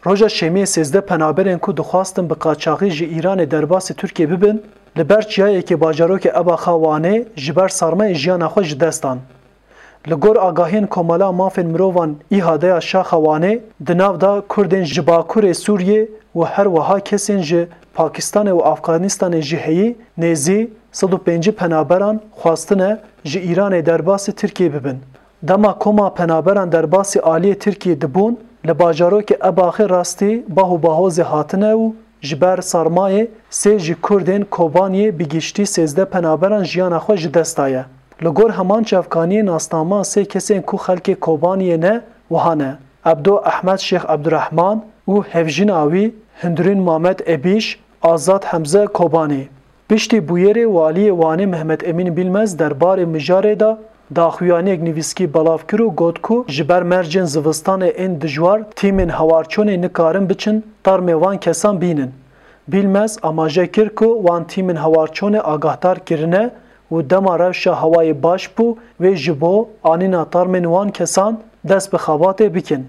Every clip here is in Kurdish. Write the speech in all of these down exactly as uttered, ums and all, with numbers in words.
Roja Şemiyê sêzdeh penaberên ku dixwastin bi qaçaxî ji Îranê derbasî Tirkiyê bibin, li ber çiyayekê bajarokê Ebaxa Wanê ji ber sarmayê jiyana xwe ji dest dan. Li gor agahiyên Komala Mafên Mirovan, İHA'de ya Şaxa Wanê, di nav de Kurdên ji Bakurê Sûriyê û her wiha kesên ji Pakistanê û Afganistanê jî heyî, nêzî sed û pêncî penaberan xwestine ji Îranê derbasî Tirkiyê bibin. Dema koma penaberan derbasî aliyê Tirkiyê dibûn, li bajarokê Ebaxê rastî bah û bahozê hatine û ji ber sarmayê sê ji Kurdên Kobaniyê bi giştî sêzdeh penaberan jiyana xwe ji dest daye. Li gor heman çavkaniyê nasnama sê kesên ku xelkê Kobaniyê ne, wiha ne: Ebdo Ehmed Şêx Ebdurehman û hevjîna wî Hindurîn Mamed Ebîş, Azad Hemze Kobanî. Piştî bûyerê, waliyê Wanê Mehmet Emîn Bilmez derbarê mijarê de daxuyaniyek nivîskî belav kir û got ku ji ber mercên zivistanê ên dijwar tîmên hewarçonê nikarin biçin termê van kesan bînin. Bilmez amaje kir ku wan tîmên hewarçonê agahdar kirine û dema rewşa hewayê baş bû, wê ji bo anîna termên wan kesan dest bi xebatê bikin.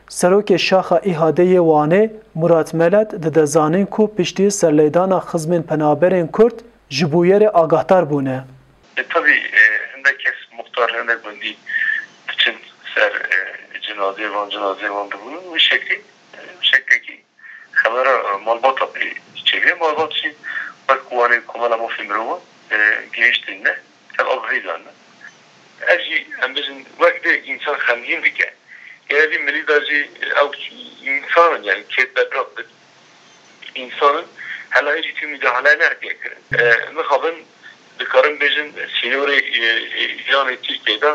Serokê Şaxa İHA'de yê Wanê, Murat Melet, dide zanîn ku piştî serleydana xizmên penaberên Kurd ji bûyerê agahdar bûne. E, tabii, e, hindek kes muxtar, hindek gundî diçin ser, e, cinazê van, cinazê van dibûn. Wî şeklî, e, şeklekî xebera, e, malbata pê çêbûye. Malbat jî wek Wanê Komela Mafê Mirovan, e, gihiştîne, ev agahî dane. Ev jî, em bijin, wek dê însan xemgîn dike. Gelê vî milî de jî ew însan in, yani kêt berdak bin. Însan in, hela hê jî tu müdahale nehatiye kirin. E, mixabin, dikarin bêjin, sînorê, e, e, Îranê Tirkiyê de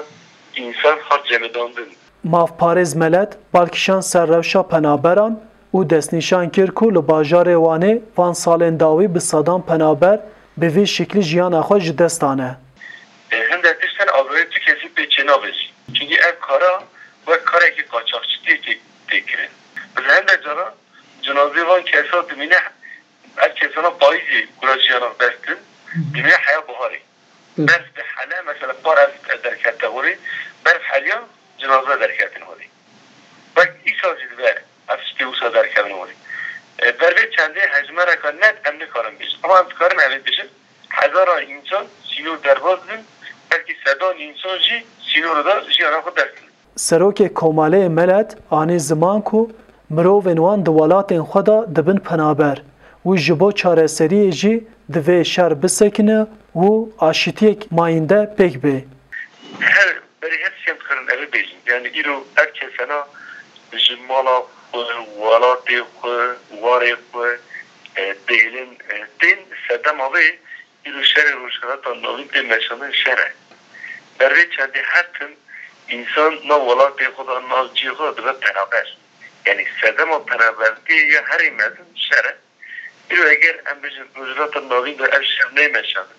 însan hat cemidandin. Mafparêz Melet bal kişand ser rewşa penaberan û destnîşan kir ku li bajarê Wanê van salên dawî bi sedan penaber bi vî şiklî jiyana xwe ji dest dane. E, hindek tişt hene, agahiyê tu kesî pê çênabe jî. Çunkî ev kara wek karekî qaçaxçitiyê tê, tê kirin. Bi hindek caran cinazê van kesa dimîne, ev kesana payîzê kura jiyana xwe dest din, dimîne heya biharê. Berf dihele, mesela par ev derkete holê, berf heliya, cinaze derketin holê. Wek îsal jî dibe ev tiştê wisa derkevin holê. E, ber vê çendê hejmereka net em nikarin bêjin. Ama em dikarin evê bêjin, hezara însan sînor derbas dibin, belkî sedan însan jî sînora de jiyana xwe dest didin. Serokê Komaleyê Melet anî ziman ku mirovên wan di welatên xwe de dibin penaber û ji bo çareseriyê jî divê şer bisekine û aşitiyek mayînde pêk bê. Her berî her tişt em dikarin evê bêjin. Yani îro ev kesena ji mala xwe, welatê xwe, warê xwe, e, dêlin, e, tên sedema vê îro şerê Rojhilata Navîn tê meşandin şer e. Ber vê çendê her tim însan nav welatê xwe de, nav cihê xwe de dibe penaber. Yani sedema penabertiyê ya herî mezin şer e. Îro eger em bêjin Rojhilata Navîn de ev şer neymeşandin,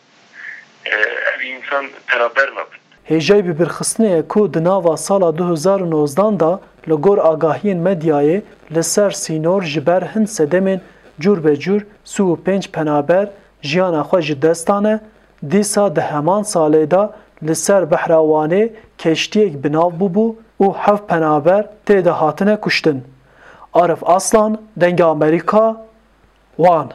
e, ev însan penaber nabin. Hêjayî bibîrxistinê ye ku di nava sala du hezar û nozdan de li gor agahiyên medyayê li ser sînor ji ber hin sedemên cûr be cûr sî û pênc penaber jiyana xwe ji dest dane, dîsa di heman salê de li ser behra Wanê keştiyek bi nav bûbû û heft penaber tê de hatine kuştin. Arif Aslan, Dengê Amerîka, Wan.